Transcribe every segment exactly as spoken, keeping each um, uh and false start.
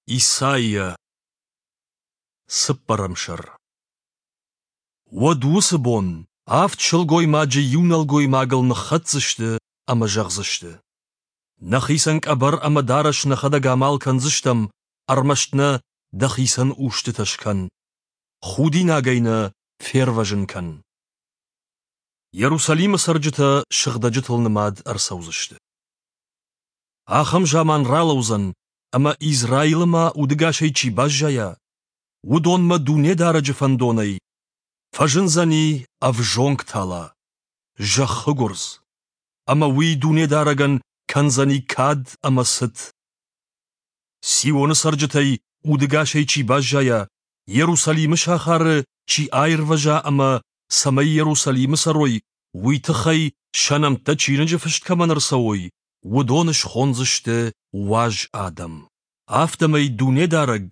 Исайя, цыппӕрӕм сӕр. Уӕд уыцы бон авд сылгоймаджы иу нӕлгоймагыл ныххӕцдзысты ӕмӕ зӕгъдзысты: Нӕхицӕн къӕбӕр ӕмӕ дарӕс нӕхӕдӕг амал кӕндзыстӕм, ӕрмӕст нӕ дӕхицӕн устытӕ скӕн. Худинагӕй нӕ фервӕзын кӕн. Иерусалимы цӕрджытӕ сыгъдӕджытыл нымад ӕрцӕудзысты. Ахӕм заман ралӕудзӕн, ӕмӕ Израилы ма удӕгасӕй чи баззайа, уыдонмӕ Дунедарӕджы фӕндонӕй фӕзындзӕни ӕвзонг тала, зӕххы гуырдз, ӕмӕ уый Дунедарӕгӕн кӕндзӕни кад ӕмӕ цыт. Сионы цӕрджытӕй удӕгасӕй чи баззайа, Иерусалимы сахары чи аирвӕза ӕмӕ цӕмӕй Иерусалимы цӕрой, уый тыххӕй сӕ нӕмттӕ чиныджы фыст кӕмӕн ӕрцӕуой, уыдоны схондзысты уаз адӕм. Афтӕмӕй Дунедарӕг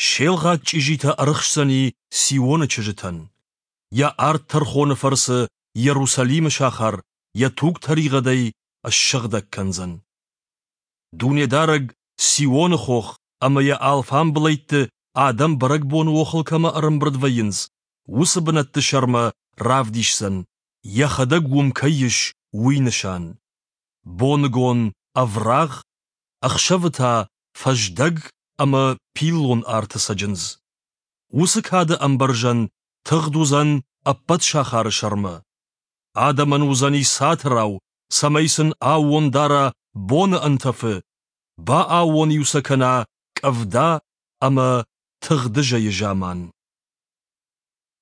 се лгъаг чъизитӕ ӕрыхсдзӕни Сионы чызджытӕн. Йӕ ард тӕрхоны фӕрцы Иерусалимы сахар йӕ туг-тӕригъӕдӕй ссыгъдӕг кӕндзӕн. Дунедарӕг Сионы хох ӕмӕ йӕ алфамбылӕйтты адӕм бӕрӕгбоны охыл кӕмӕ ӕрӕмбырд вӕййынц, уыцы бынӕтты сӕрмӕ равдисдзӕн, йӕхӕдӕг уым кӕй ис, уый нысан. Боныгон ӕврагъ, ӕхсӕвы та фӕздӕг ӕмӕ пиллон арты цӕджындз. Уыцы кады ӕмбӕрзӕн тыгъд уыдзӕн ӕппӕт сахары сӕрмӕ. Адӕмӕн уыдзӕни цатырау, цӕмӕй сын аууон дара боны ӕнтӕфы, бааууон-иу сӕ кӕна къӕвда ӕмӕ тыгъдызӕйы заман.